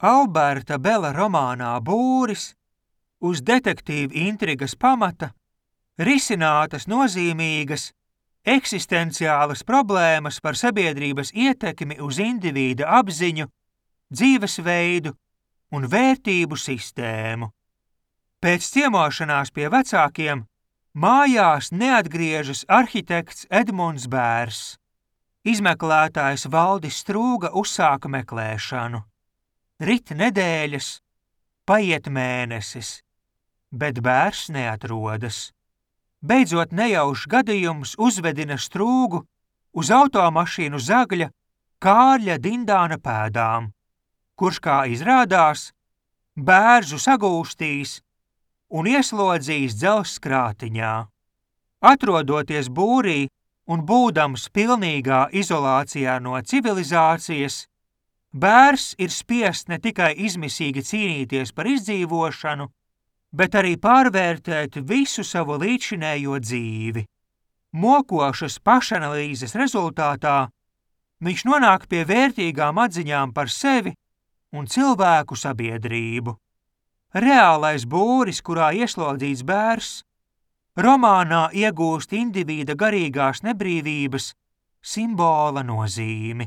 Alberta Bela romānā Būris uz detektīva intrigas pamata risinātas nozīmīgas eksistenciālas problēmas par sabiedrības ietekmi uz indivīda apziņu, dzīvesveidu un vērtību sistēmu. Pēc ciemošanās pie vecākiem mājās neatgriežas arhitekts Edmunds Bērs. Izmeklētājs Valdis Strūga uzsāka meklēšanu. Rit nedēļas, paiet mēnesis, bet Bērs neatrodas. Beidzot nejaušs gadījums uzvedina Strūgu uz automašīnu Zagļa Kārļa Dindāna pēdām, kurš, kā izrādās, Bērzu sagūstīs un ieslodzījis dzelzs krātiņā. Atrodoties būrī un būdams pilnīgā izolācijā no civilizācijas, Bērs ir spiests ne tikai izmisīgi cīnīties par izdzīvošanu, bet arī pārvērtēt visu savu līdzinējo dzīvi. Mokošas pašanalīzes rezultātā viņš nonāk pie vērtīgām atziņām par sevi un cilvēku sabiedrību. Reālais būris, kurā ieslodzīts Bērs, romānā iegūst indivīda garīgās nebrīvības simbola nozīmi.